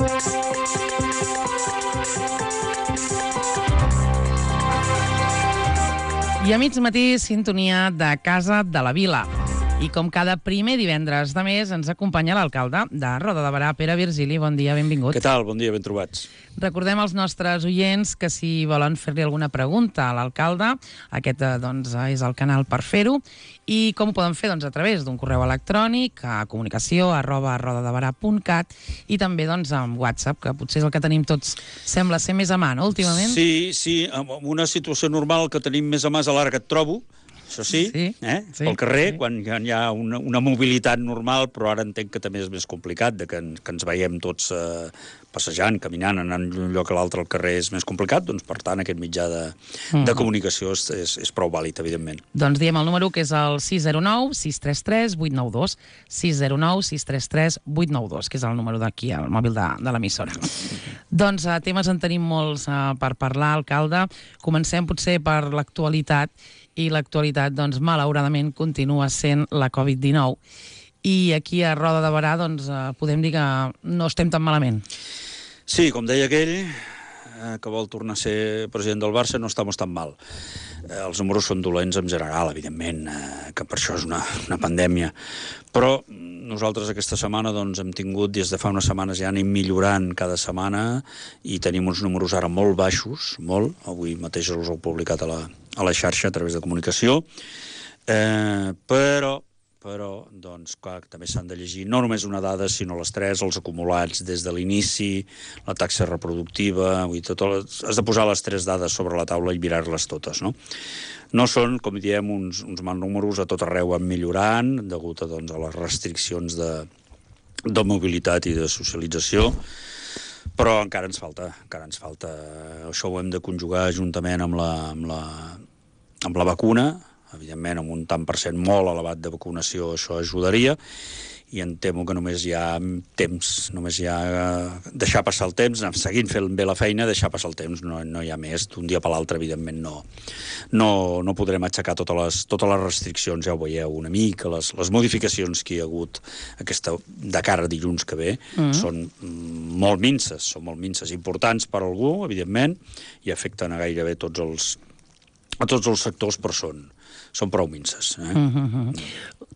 I a mig matí, sintonia de Casa de la Vila. I com cada primer divendres de mes ens acompanya l'alcalde de Roda de Berà, Pere Virgili. Bon dia, benvingut. Què tal? Bon dia, ben trobats. Recordem als nostres oients que si volen fer-li alguna pregunta a l'alcalde, aquest és el canal per fer-ho. I com ho poden fer? A través d'un correu electrònic a comunicació@rodadeberà.cat i també amb WhatsApp, que potser és el que tenim tots, sembla ser més a mà, no, últimament? Sí, en una situació normal que tenim més a mà és a l'ara que et trobo, això sí, pel carrer, quan hi ha una mobilitat normal, però ara entenc que també és més complicat, que ens veiem tots passejant, caminant, anant d'un lloc a l'altre al carrer és més complicat, doncs per tant aquest mitjà de comunicació és prou vàlid, evidentment. Doncs diem el número, que és el 609-633-892, 609-633-892, que és el número d'aquí, el mòbil de l'emissora. Doncs temes en tenim molts per parlar, alcalde. Comencem potser per l'actualitat, i l'actualitat, malauradament, continua sent la Covid-19. I aquí a Roda de Berà, podem dir que no estem tan malament. Sí, com deia aquell, que vol tornar a ser president del Barça, no estamos tan mal. Els números són dolents en general, evidentment, que per això és una pandèmia. Però nosaltres aquesta setmana hem tingut, des de fa unes setmanes ja anem millorant cada setmana i tenim uns números ara molt baixos, molt. Avui mateix els heu publicat a la xarxa a través de comunicació. Però clar, també s'han de llegir no només una dada, sinó les tres, els acumulats des de l'inici, la taxa reproductiva, has de posar les tres dades sobre la taula i mirar-les totes, no? No són, com diem, uns mals números, a tot arreu van millorant, degut a les restriccions de mobilitat i de socialització, però encara ens falta. Això ho hem de conjugar juntament amb la vacuna. Evidentment, amb un tant per cent molt elevat de vacunació, això ajudaria, i em temo que només hi ha temps, només hi ha deixar passar el temps, seguint fent bé la feina, deixar passar el temps, no hi ha més. D'un dia per l'altre, evidentment, no podrem aixecar totes les restriccions, ja ho veieu una mica, les modificacions que hi ha hagut de cara a dilluns que ve són molt minces, importants per a algú, evidentment, i afecten a gairebé tots els sectors, però són prou minces.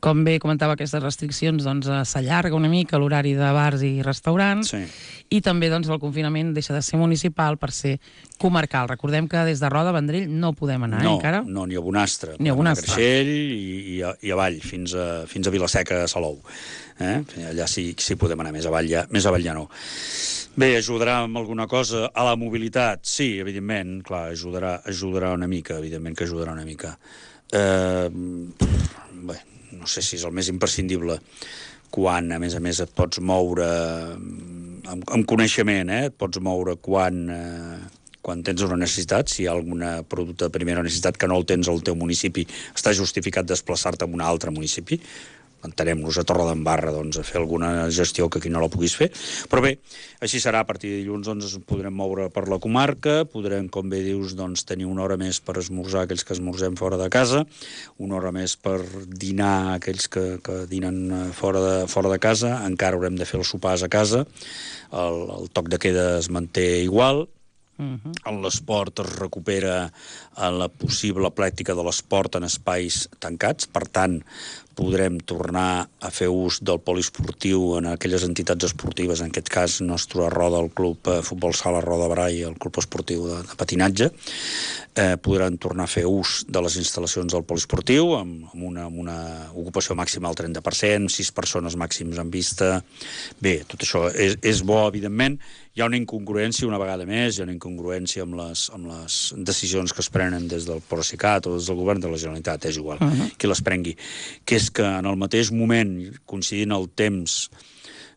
Com bé comentava, aquestes restriccions, s'allarga una mica l'horari de bars i restaurants, i també el confinament deixa de ser municipal per ser comarcal. Recordem que des de Roda a Vendrell no podem anar encara. No, ni a Bonastre. Ni a Creixell i avall, fins a Vilaseca, a Salou. Allà sí podem anar, més avall ja no. Bé, ajudarà amb alguna cosa a la mobilitat? Sí, evidentment, clar, ajudarà una mica, evidentment que ajudarà una mica. Bé, no sé si és el més imprescindible quan, a més, et pots moure amb coneixement, et pots moure quan tens una necessitat, si hi ha algun producte de primera necessitat que no el tens al teu municipi, està justificat desplaçar-te a un altre municipi. Entenem-nos a Torredembarra a fer alguna gestió que aquí no la puguis fer, però bé, així serà. A partir de dilluns ens podrem moure per la comarca, podrem, com bé dius, tenir una hora més per esmorzar aquells que esmorzem fora de casa, una hora més per dinar aquells que dinen fora de casa, encara haurem de fer els sopars a casa, el toc de queda es manté igual, en l'esport es recupera la possible pràctica de l'esport en espais tancats, per tant, podrem tornar a fer ús del poliesportiu en aquelles entitats esportives, en aquest cas nostre Roda, el Club Futbol Sala Roda Berà i el Club Esportiu de patinatge. Podran tornar a fer ús de les instal·lacions del poliesportiu amb una ocupació màxima del 30%, 6 persones màxims en vista. Bé, tot això és bo, evidentment. Hi ha una incongruència, una vegada més, amb les decisions que es prenen des del Procicat o des del govern de la Generalitat, és igual, qui les prengui, que és que en el mateix moment, coincidint el temps,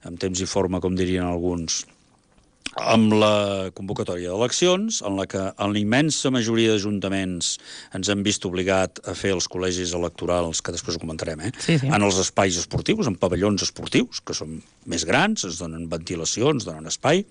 amb temps i forma, com dirien alguns, amb la convocatòria d'eleccions, en la que en la immensa majoria d'ajuntaments ens hem vist obligat a fer els col·legis electorals, que després ho comentarem, Sí. en els espais esportius, en pavellons esportius, que són més grans, ens donen ventilació, ens donen espai.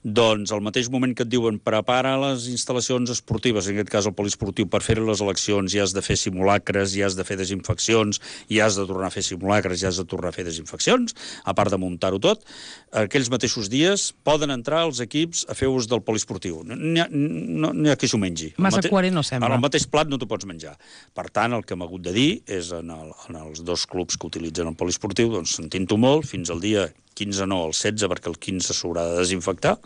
Doncs al mateix moment que et diuen prepara les instal·lacions esportives, en aquest cas el poliesportiu, per fer les eleccions, ja has de fer simulacres, ja has de fer desinfeccions, ja has de tornar a fer simulacres, ja has de tornar a fer desinfeccions, a part de muntar-ho tot, aquells mateixos dies poden entrar els equips a fer ús del poliesportiu. N'hi ha qui s'ho mengi. Massa coherent no sembla. En el mateix plat no t'ho pots menjar. Per tant, el que hem hagut de dir és en els dos clubs que utilitzen el poliesportiu, doncs sentint-ho molt, fins al dia 15 no, el 16, perquè el 15 s'haurà de desinfectar,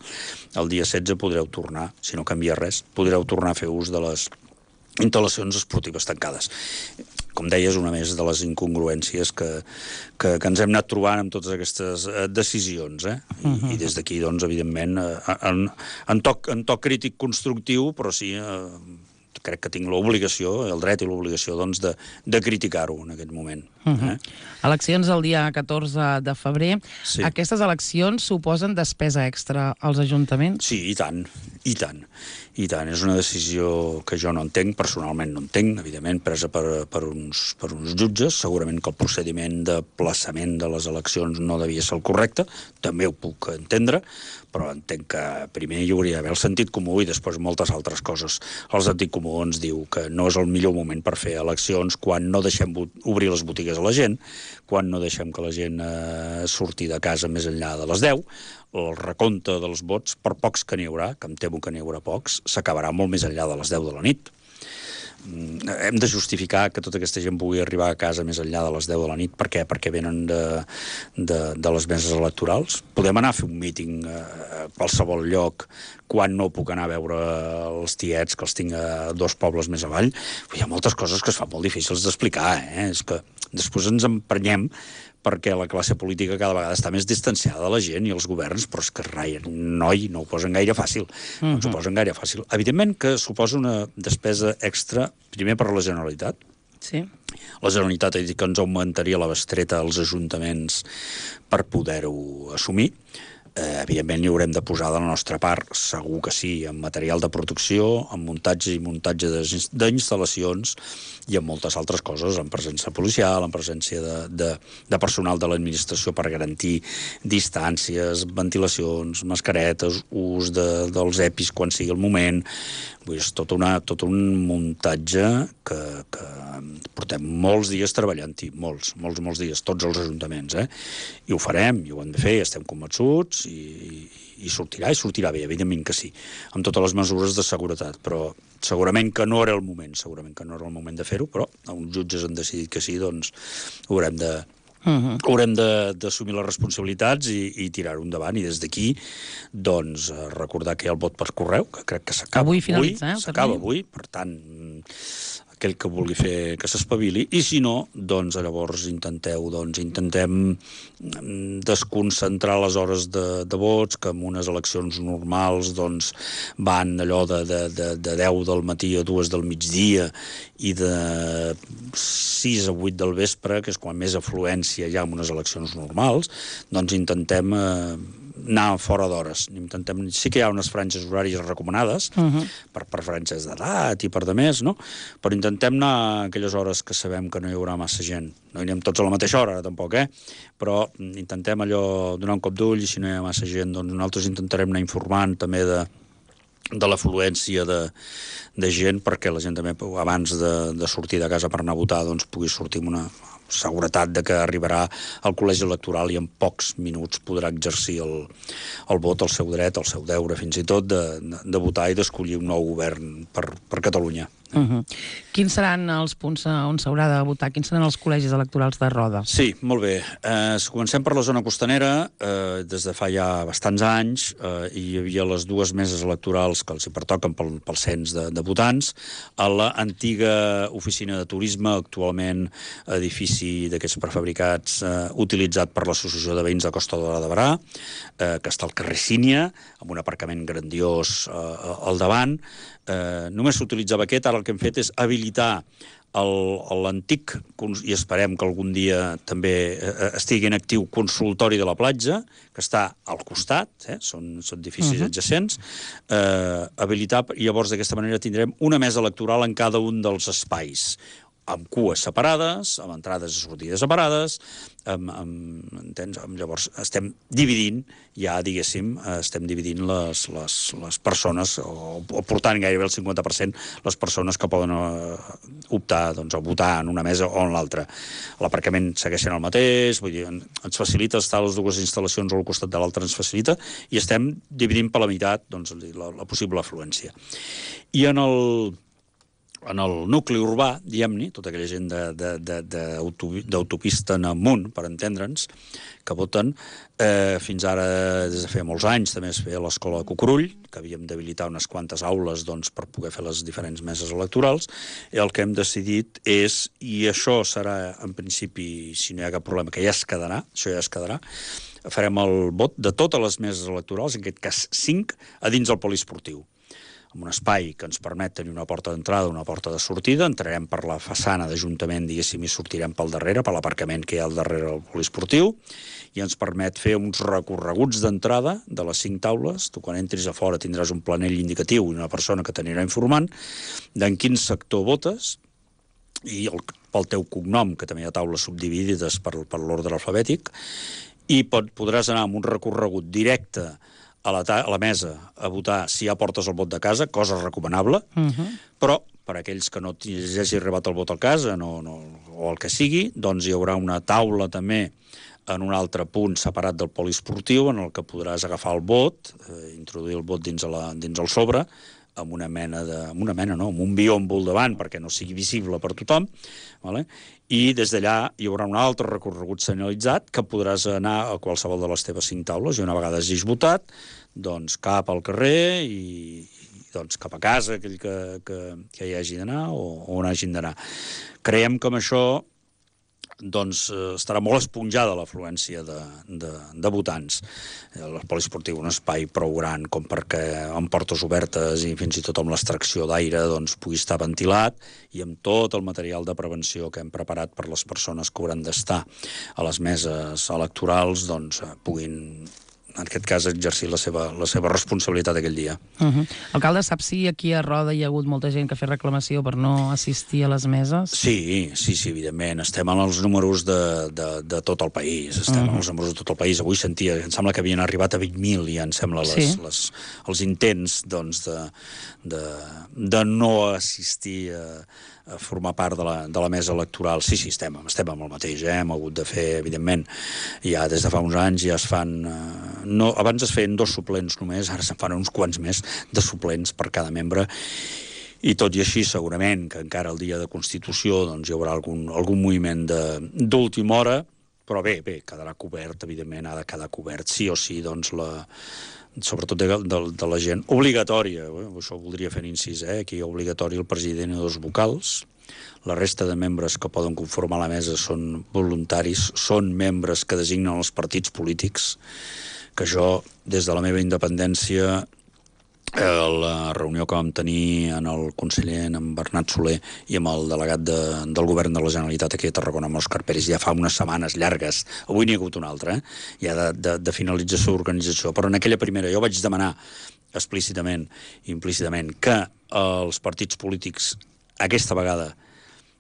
el dia 16 podreu tornar, si no canvia res, podreu tornar a fer ús de les instal·lacions esportives tancades. Com deies, una més de les incongruències que ens hem anat trobant amb totes aquestes decisions. I des d'aquí, doncs, evidentment, en toc crític constructiu, però sí, crec que tinc l'obligació, el dret i l'obligació, doncs, de criticar-ho en aquest moment. Eleccions el dia 14 de febrer. Sí. Aquestes eleccions suposen despesa extra als ajuntaments? Sí, i tant, i tant. I tant, és una decisió que jo no entenc, personalment no entenc, evidentment, presa per uns jutges. Segurament que el procediment de plaçament de les eleccions no devia ser el correcte, també ho puc entendre, però entenc que primer hi hauria d'haver el sentit comú i després moltes altres coses. El sentit comú ens diu que no és el millor moment per fer eleccions quan no deixem obrir les botigues a la gent, quan no deixem que la gent surti de casa més enllà de les 10, el recompte dels vots, per pocs que n'hi haurà, que em temo que n'hi haurà pocs, s'acabarà molt més enllà de les 10 de la nit. Hem de justificar que tota aquesta gent pugui arribar a casa més enllà de les 10 de la nit. Per què? Perquè venen de les meses electorals. Podem anar a fer un míting a qualsevol lloc quan no puc anar a veure els tiets, que els tinc a 2 pobles més avall. Hi ha moltes coses que es fan molt difícils d'explicar. És que després ens emprenyem perquè la classe política cada vegada està més distanciada de la gent i els governs, però és que noi, no ho posen gaire fàcil. No ens ho posen gaire fàcil. Evidentment que suposa una despesa extra, primer per la Generalitat. Sí. La Generalitat ha dit que ens augmentaria la bestreta als ajuntaments per poder-ho assumir. Evidentment hi haurem de posar de la nostra part, segur que sí, en material de protecció, en muntatge i muntatge d'instal·lacions i en moltes altres coses, en presència policial, en presència de personal de l'administració per garantir distàncies, ventilacions, mascaretes, ús dels EPIs quan sigui el moment. Vull dir, és tot un muntatge que portem molts dies treballant-hi, molts dies, tots els ajuntaments, i ho farem, i ho hem de fer, i estem convençuts, i sortirà bé, evidentment que sí, amb totes les mesures de seguretat, però segurament que no era el moment, de fer-ho, però uns jutges han decidit que sí, doncs haurem d'assumir les responsabilitats i tirar-ho endavant, i des d'aquí doncs recordar que hi ha el vot per correu, que crec que s'acaba avui. Finalitza, s'acaba avui, per tant aquell que vulgui fer que s'espavili, i si no, doncs llavors intentem desconcentrar les hores de vots, que en unes eleccions normals doncs van allò de 10 del matí a 2 del migdia i de 6 a 8 del vespre, que és quan més afluència hi ha en unes eleccions normals, doncs intentem anar fora d'hores. Sí que hi ha unes franges horàries recomanades per franges d'edat i per de més, no? Però intentem anar a aquelles hores que sabem que no hi haurà massa gent. No hi anem tots a la mateixa hora, tampoc, però intentem allò donar un cop d'ull, i si no hi ha massa gent, doncs nosaltres intentarem anar informant també de l'afluència de gent, perquè la gent també, abans de sortir de casa per anar a votar, doncs pugui sortir amb una seguretat de que arribarà al col·legi electoral i en pocs minuts podrà exercir el vot, el seu dret, el seu deure, fins i tot de votar i d'escollir un nou govern per Catalunya. Quins seran els punts on s'haurà de votar? Quins seran els col·legis electorals de Roda? Sí, molt bé. Comencem per la zona costanera. Des de fa ja bastants anys hi havia les 2 meses electorals que els hi pertoquen pel cens de votants. A l'antiga oficina de turisme, actualment edifici d'aquests prefabricats utilitzat per l'Associació de Veïns de Costa Daurada de Barà, que està al carrer Sínia, amb un aparcament grandiós al davant. Només s'utilitzava aquest, ara el que hem fet és habilitar l'antic, i esperem que algun dia també estigui en actiu, consultori de la platja, que està al costat, són edificis adjacents, habilitar, i llavors d'aquesta manera tindrem una mesa electoral en cada un dels espais, amb cues separades, amb entrades i sortides separades, entens? Llavors estem dividint, ja diguéssim, les persones, o portant gairebé el 50% les persones que poden optar a votar en una mesa o en l'altra. L'aparcament segueix sent el mateix, vull dir, ens facilita estar les dues instal·lacions o al costat de l'altra, ens facilita, i estem dividint per la meitat la possible afluència. I en el nucli urbà, diguem-ne, tota aquella gent d'autopista en amunt, per entendre'ns, que voten, fins ara, des de fa molts anys, també es feia l'escola de Cucurull, que havíem d'habilitar unes quantes aules per poder fer les diferents meses electorals, i el que hem decidit és, i això serà, en principi, si no hi ha cap problema, que ja es quedarà, farem el vot de totes les meses electorals, en aquest cas 5, a dins del poliesportiu, amb un espai que ens permet tenir una porta d'entrada, una porta de sortida, entrarem per la façana d'Ajuntament, diguéssim, i sortirem pel darrere, per l'aparcament que hi ha al darrere del poliesportiu, i ens permet fer uns recorreguts d'entrada de les 5 taules. Tu, quan entris a fora, tindràs un planell indicatiu i una persona que t'anirà informant d'en quin sector votes, i pel teu cognom, que també hi ha taules subdividides per l'ordre alfabètic, i podràs anar amb un recorregut directe a la mesa a votar si ja portes el vot de casa, cosa recomanable, però per aquells que no hagi arribat el vot a casa o el que sigui, doncs hi haurà una taula també en un altre punt separat del poliesportiu en el que podràs agafar el vot, introduir el vot dins el sobre, amb un biòmbol davant perquè no sigui visible per tothom, i des d'allà hi haurà un altre recorregut senyalitzat que podràs anar a qualsevol de les teves 5 taules, i una vegada hagis votat, doncs cap al carrer i cap a casa, aquell que hi hagi d'anar o on hagin d'anar. Creiem que amb això estarà molt esponjada l'afluència de votants. El poliesportiu, un espai prou gran com perquè amb portes obertes i fins i tot amb l'extracció d'aire pugui estar ventilat, i amb tot el material de prevenció que hem preparat per les persones que hauran d'estar a les meses electorals puguin, en aquest cas, exercir la seva responsabilitat aquell dia. Alcalde, sap si aquí a Roda hi ha hagut molta gent que ha fet reclamació per no assistir a les meses? Sí, evidentment. Estem en els números de tot el país. Avui sentia, em sembla que havien arribat a 20.000, ja em sembla, els intents de no assistir a formar part de la mesa electoral. Sí, estem amb el mateix. Hem hagut de fer, evidentment, ja des de fa uns anys ja es fan... Abans es feien 2 suplents només, ara se'n fan uns quants més de suplents per cada membre, i tot i així segurament que encara el dia de Constitució hi haurà algun moviment d'última hora, però bé, quedarà cobert, evidentment, ha de quedar cobert sí o sí, sobretot de la gent obligatòria, això voldria fer incís, aquí obligatori el president i 2 vocals, la resta de membres que poden conformar la mesa són voluntaris, són membres que designen els partits polítics, que jo, des de la meva independència, la reunió que vam tenir en el conseller, en Bernat Soler, i amb el delegat del govern de la Generalitat aquí a Tarragona, amb Òscar Pérez, ja fa unes setmanes llargues, avui n'hi ha hagut una altra, ja de finalització d'organització, però en aquella primera jo vaig demanar explícitament i implícitament que els partits polítics aquesta vegada,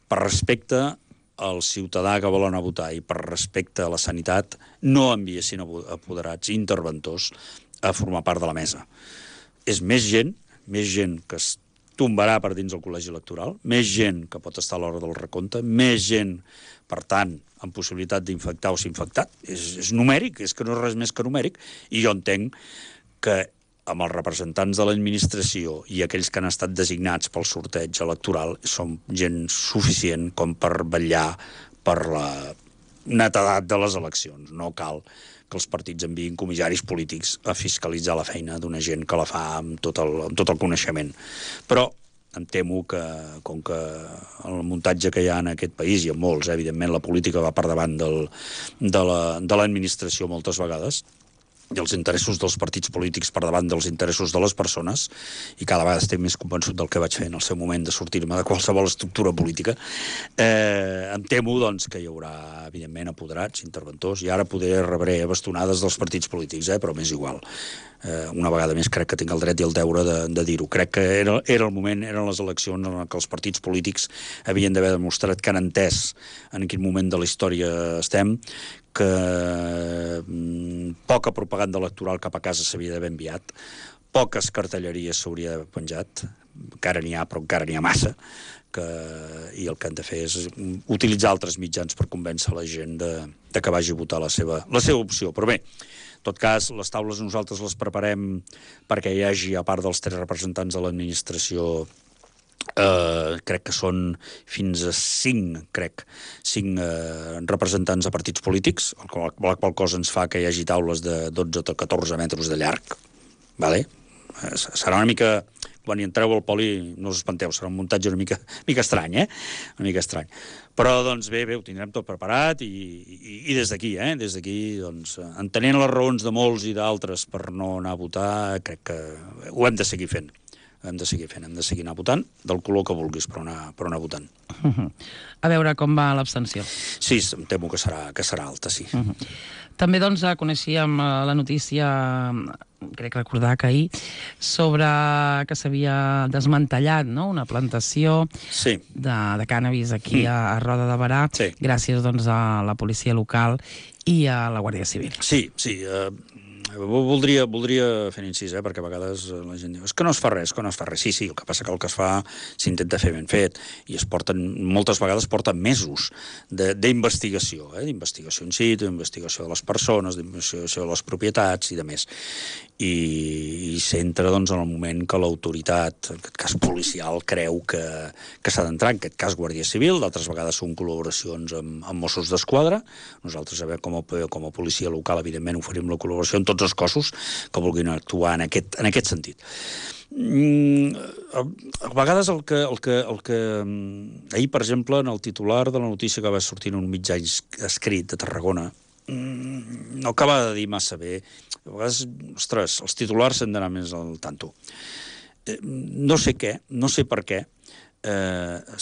per respecte al ciutadà que volen votar i per respecte a la sanitat, no enviessin apoderats i interventors a formar part de la mesa. És més gent que es tombarà per dins del col·legi electoral, més gent que pot estar a l'hora del recompte, més gent, per tant, amb possibilitat d'infectar o ser infectat. És numèric, és que no és res més que numèric, i jo entenc que amb els representants de l'administració i aquells que han estat designats pel sorteig electoral són gent suficient com per vetllar per la netedat de les eleccions. No cal que els partits enviïn comissaris polítics a fiscalitzar la feina d'una gent que la fa amb tot el coneixement. Però em temo que, com que el muntatge que hi ha en aquest país, i en molts, evidentment, la política va per davant de l'administració moltes vegades, i els interessos dels partits polítics per davant dels interessos de les persones, i cada vegada estic més convençut del que vaig fer en el seu moment de sortir-me de qualsevol estructura política, em temo doncs, que hi haurà, evidentment, apoderats, interventors, i ara poder rebre bastonades dels partits polítics, però m'és igual. Una vegada més crec que tinc el dret i el deure de dir-ho. Crec que era el moment, eren les eleccions en què els partits polítics havien d'haver demostrat que han entès en quin moment de la història estem, que poca propaganda electoral cap a casa s'havia d'haver enviat, poques cartelleries s'hauria d'haver penjat, encara n'hi ha, però encara n'hi ha massa, i el que han de fer és utilitzar altres mitjans per convèncer la gent de que vagi a votar la seva opció. Però bé, en tot cas, les taules nosaltres les preparem perquè hi hagi, a part dels 3 representants de l'administració, crec que són fins a 5 representants de partits polítics, la qual cosa ens fa que hi hagi taules de 12 o 14 metres de llarg, vale? Serà una mica, quan hi entreu al poli, no us espanteu, serà un muntatge una mica estrany, una mica estrany. Però, doncs, bé, ho tindrem tot preparat i des d'aquí, doncs, entenent les raons de molts i d'altres per no anar a votar, crec que ho hem de seguir fent. Hem de seguir anar votant, del color que vulguis, però anar votant. A veure com va l'abstenció. Sí, em temo que serà alta, sí. També, doncs, coneixíem la notícia, crec recordar que ahir, sobre que s'havia desmantellat, no?, una plantació de cànnabis aquí a Roda de Berà, gràcies, doncs, a la policia local i a la Guàrdia Civil. Sí. Voldria fer incís, perquè a vegades la gent diu, és que no es fa res, Sí, el que passa que el que es fa s'intenta fer ben fet, i moltes vegades porten mesos d'investigació, d'investigació in situ, d'investigació de les persones, d'investigació de les propietats i de més. I s'entra, doncs, en el moment que l'autoritat, en aquest cas policial, creu que s'ha d'entrar, en aquest cas Guàrdia Civil, d'altres vegades són col·laboracions amb Mossos d'Esquadra. Nosaltres, com a policia local, evidentment, oferim la col·laboració en tots els cossos que vulguin actuar en aquest sentit. A vegades el que ahir, per exemple, en el titular de la notícia que va sortir en un mitjà escrit de Tarragona, no acaba de dir massa bé. A vegades, ostres, els titulars s'han d'anar més al tanto. No sé per què,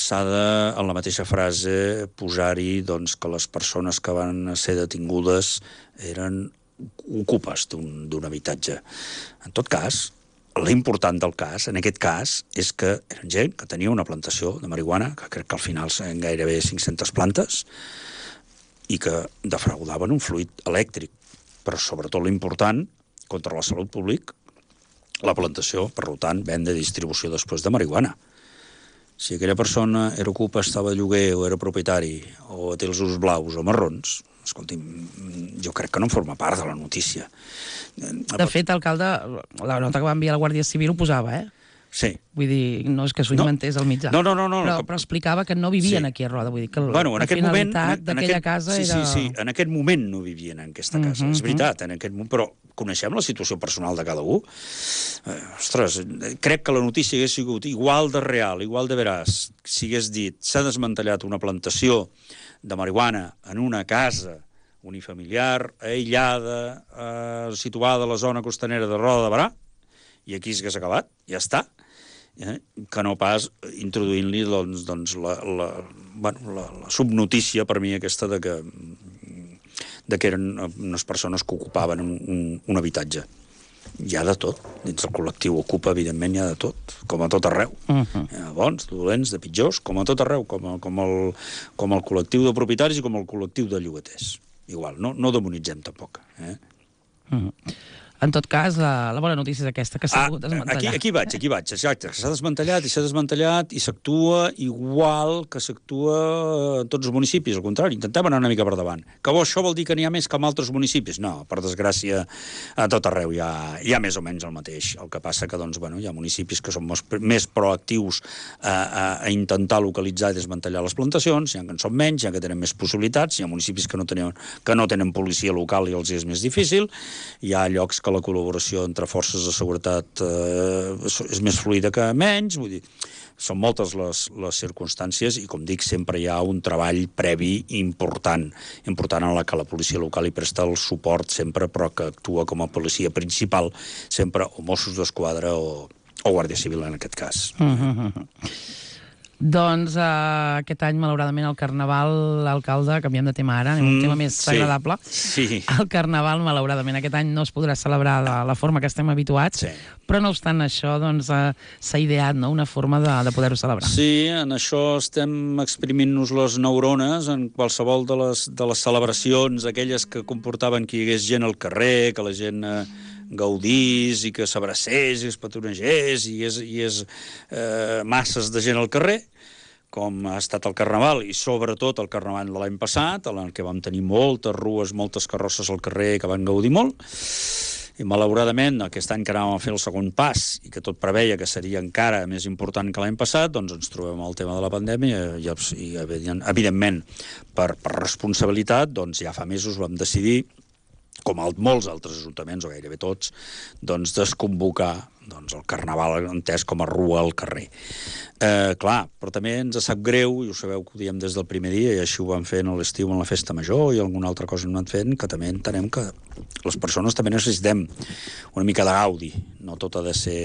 s'ha de, en la mateixa frase, posar-hi doncs, que les persones que van ser detingudes eren ocupes d'un habitatge. En tot cas, l'important del cas, en aquest cas, és que eren gent que tenia una plantació de marihuana, que crec que al final són gairebé 500 plantes, i que defraudaven un fluid elèctric. Però sobretot l'important, contra la salut pública, la plantació, per tant, venda i distribució després de marihuana. Si aquella persona era ocupa, estava de lloguer, o era propietari, o té els ulls blaus o marrons, escolti'm, jo crec que no en forma part de la notícia. De fet, alcalde, la nota que va enviar la Guàrdia Civil ho posava, Sí. Vull dir, no és que s'ho inventés al mitjà. No. Però explicava que no vivien aquí a Roda. Vull dir que la finalitat d'aquella casa era... Sí, en aquest moment no vivien en aquesta casa. És veritat, en aquest moment, però coneixem la situació personal de cada un. Ostres, crec que la notícia hagués sigut igual de real, igual de veraç, si hagués dit s'ha desmantellat una plantació de marihuana en una casa unifamiliar, aïllada, situada a la zona costanera de Roda de Berà, i aquí s'hagués acabat, ja està, que no pas introduint-li la subnotícia per mi aquesta de que eren unes persones que ocupaven un habitatge. Hi ha de tot. Dins del col·lectiu Ocupa, evidentment, hi ha de tot, com a tot arreu. Hi ha bons, dolents, de pitjors, com a tot arreu, com el col·lectiu de propietaris i com el col·lectiu de llogaters. Igual, no demonitzem tampoc. En tot cas, la bona notícia és aquesta, que s'ha pogut desmantellar. Aquí vaig, exacte. S'ha desmantellat i s'actua igual que s'actua en tots els municipis. Al contrari, intentem anar una mica per davant. Que això vol dir que n'hi ha més que en altres municipis? No, per desgràcia, a tot arreu hi ha més o menys el mateix. El que passa que hi ha municipis que són més proactius a intentar localitzar i desmantellar les plantacions, hi ha que en són menys, hi ha que tenen més possibilitats, hi ha municipis que no tenen policia local i els és més difícil, hi ha llocs que la col·laboració entre forces de seguretat és més fluida que menys, vull dir, són moltes les circumstàncies i, com dic, sempre hi ha un treball previ important en la que la policia local hi presta el suport sempre, però que actua com a policia principal sempre o Mossos d'Esquadra o Guàrdia Civil en aquest cas. Doncs aquest any, malauradament, el Carnaval, l'alcalde, canviem de tema ara, anem a un tema més agradable. Sí. El Carnaval, malauradament, aquest any no es podrà celebrar de la forma que estem habituats, però no obstant això, doncs, s'ha ideat una forma de poder-ho celebrar. Sí, en això estem exprimint-nos les neurones en qualsevol de les celebracions, aquelles que comportaven que hi hagués gent al carrer, que la gent gaudís i que s'abracés i es petonegés i és masses de gent al carrer, com ha estat el Carnaval, i sobretot el Carnaval de l'any passat, en què vam tenir moltes rues, moltes carrosses al carrer que van gaudir molt, i malauradament aquest any que anàvem a fer el segon pas i que tot preveia que seria encara més important que l'any passat, doncs ens trobem amb el tema de la pandèmia i evidentment per responsabilitat, doncs ja fa mesos vam decidir, com molts altres ajuntaments, o gairebé tots, doncs desconvocar el Carnaval entès com a rua al carrer. Clar, però també ens sap greu, i ho sabeu que ho diem des del primer dia, i així ho vam fer a l'estiu en la festa major i alguna altra cosa hem anat fent, que també entenem que les persones també necessitem una mica de gaudi, no tot ha de ser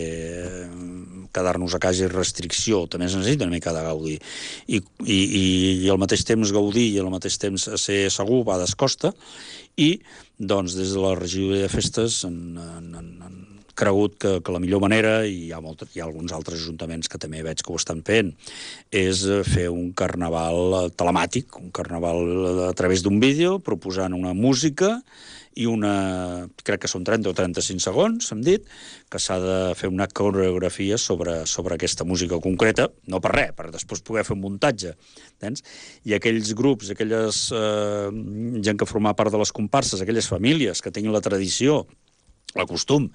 quedar-nos a casa i restricció, també es necessita una mica de gaudi. I al mateix temps gaudir i al mateix temps ser segur va d'escosta, i doncs des de la regidoria de festes han cregut que la millor manera, i hi ha alguns altres ajuntaments que també veig que ho estan fent, és fer un carnaval telemàtic, un carnaval a través d'un vídeo, proposant una música i crec que són 30 o 35 segons, hem dit, que s'ha de fer una coreografia sobre aquesta música concreta, no per res, per després poder fer un muntatge. Entens? I aquells grups, aquelles gent que forma part de les comparses, aquelles famílies que tinguin la tradició, el costum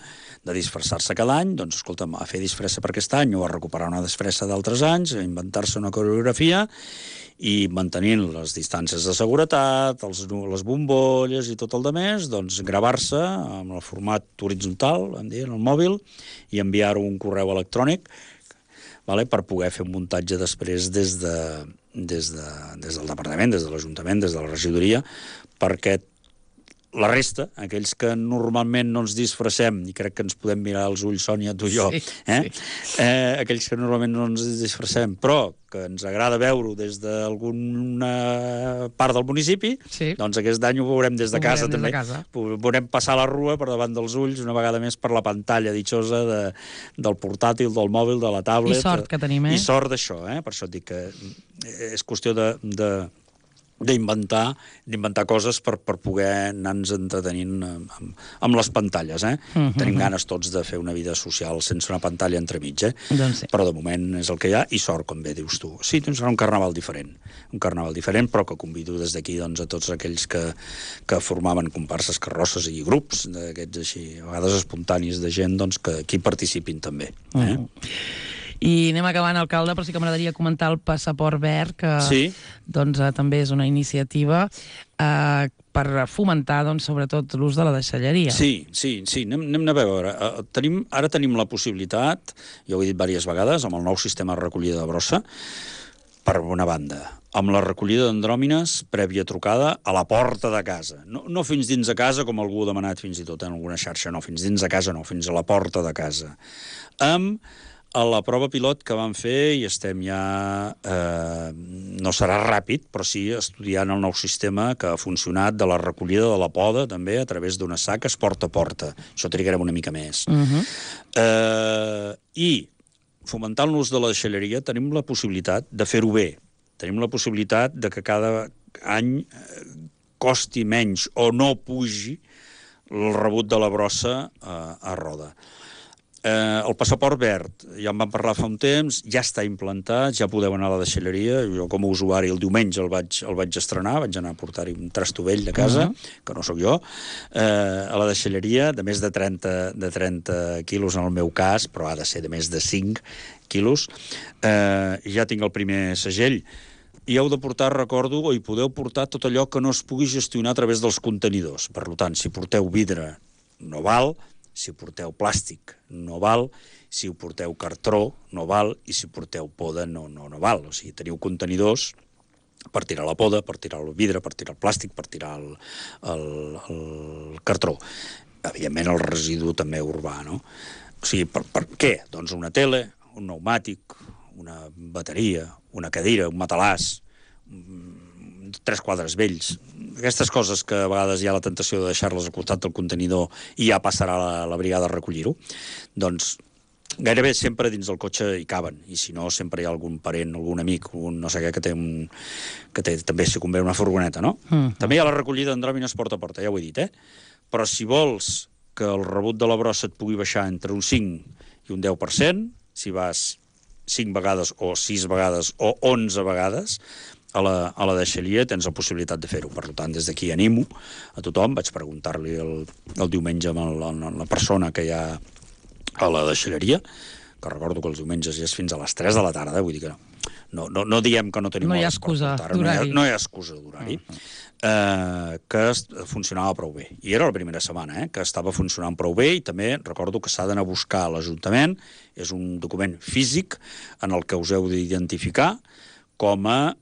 de disfressar-se cada any, doncs, escolta'm, a fer disfressa per aquest any o a recuperar una disfressa d'altres anys, a inventar-se una coreografia i mantenint les distàncies de seguretat, les bombolles i tot el demés, doncs gravar-se amb el format horitzontal, vam dir, en el mòbil, i enviar-ho un correu electrònic, per poder fer un muntatge després des del departament, des de l'Ajuntament, des de la regidoria, perquè la resta, aquells que normalment no ens disfressem, i crec que ens podem mirar als ulls, Sònia, tu i jo, aquells que normalment no ens disfressem, però que ens agrada veure-ho des d'alguna part del municipi, doncs aquest any ho veurem des de casa també. Veurem passar la rua per davant dels ulls, una vegada més per la pantalla ditxosa del portàtil, del mòbil, de la tablet. I sort que tenim, I sort d'això, per això et dic que és qüestió d'inventar coses per poder anar-nos entretenint amb les pantalles. Tenim ganes tots de fer una vida social sense una pantalla entremig, però de moment és el que hi ha, i sort, com bé dius tu. Sí, doncs serà un carnaval diferent, però que convido des d'aquí a tots aquells que formaven comparses, carrosses i grups d'aquests així, a vegades espontanis de gent, que hi participin també. I anem acabant, alcalde, però sí que m'agradaria comentar el passaport verd, que també és una iniciativa per fomentar, sobretot, l'ús de la deixalleria. Sí, anem a veure. Ara tenim la possibilitat, ja ho he dit diverses vegades, amb el nou sistema de recollida de brossa, per una banda, amb la recollida d'andròmines prèvia trucada a la porta de casa. No fins dins de casa, com algú ha demanat fins i tot en alguna xarxa, no, fins dins de casa no, fins a la porta de casa. A la prova pilot que vam fer, i estem ja, no serà ràpid, però sí estudiant el nou sistema que ha funcionat de la recollida de la poda, també, a través d'unes saques porta a porta. Això trigarem una mica més. I, fomentant l'ús de la deixalleria, tenim la possibilitat de fer-ho bé. Tenim la possibilitat de que cada any costi menys o no pugi el rebut de la brossa a roda. El passaport verd, ja en vam parlar fa un temps, ja està implantat, ja podeu anar a la deixalleria. Jo com a usuari el diumenge el vaig estrenar, vaig anar a portar-hi un trastovell de casa, que no sóc jo, a la deixalleria, de més de 30 quilos en el meu cas, però ha de ser de més de 5 quilos. Ja tinc el primer segell. I heu de portar, recordo, o hi podeu portar tot allò que no es pugui gestionar a través dels contenidors. Per tant, si porteu vidre, no val. Si porteu plàstic, no val. Si ho porteu cartró, no val. I si porteu poda, no val. O sigui, teniu contenidors per tirar la poda, per tirar el vidre, per tirar el plàstic, per tirar el cartró. Evidentment, el residu també urbà, no? O sigui, per què? Doncs una tele, un pneumàtic, una bateria, una cadira, un matalàs, 3 quadres vells. Aquestes coses que a vegades hi ha la tentació de deixar-les al costat del contenidor i ja passarà la brigada a recollir-ho, doncs gairebé sempre dins del cotxe hi caben, i si no, sempre hi ha algun parent, algun amic, un no sé què, que té també, si convé, una furgoneta, no? També hi ha la recollida d'andròmines porta a porta, ja ho he dit, Però si vols que el rebut de la brossa et pugui baixar entre un 5 i un 10%, si vas 5 vegades o 6 vegades o 11 vegades a la deixalleria, tens la possibilitat de fer-ho. Per tant, des d'aquí animo a tothom. Vaig preguntar-li el diumenge a la persona que hi ha a la deixalleria, que recordo que els diumenges ja és fins a les 3 de la tarda, vull dir que no diem que no tenim hores per portar-ho. No hi ha excusa d'horari. Que funcionava prou bé. I era la primera setmana, que estava funcionant prou bé, i també recordo que s'ha d'anar a buscar a l'Ajuntament. És un document físic en el que us heu d'identificar com a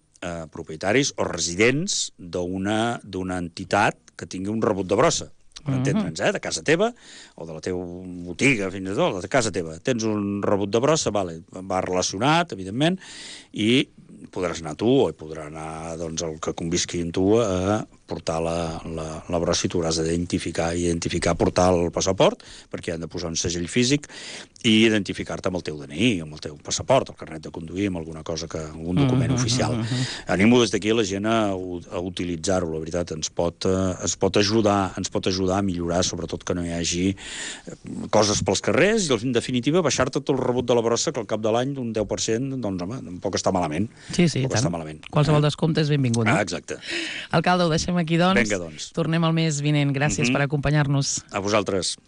propietaris o residents d'una entitat que tingui un rebut de brossa. Per entendre'ns, de casa teva, o de la teva botiga, fins i tot, de casa teva. Tens un rebut de brossa, va relacionat, evidentment, i podràs anar tu, o podrà anar el que convisqui amb tu a portar la brossa, i tu hauràs d'identificar, portar el passaport, perquè han de posar un segell físic, i identificar-te amb el teu DNI, amb el teu passaport, el carnet de conduir, amb alguna cosa, algun document oficial. Animo des d'aquí la gent a utilitzar-ho, la veritat, ens pot ajudar a millorar, sobretot que no hi hagi coses pels carrers, i en definitiva baixar-te tot el rebut de la brossa, que al cap de l'any d'un 10%, doncs home, tampoc està malament. Sí, tant. Qualsevol descompte és benvingut, no? Exacte. Alcalde, ho deixem aquí, doncs. Vinga, doncs. Tornem el mes vinent. Gràcies per acompanyar-nos. A vosaltres.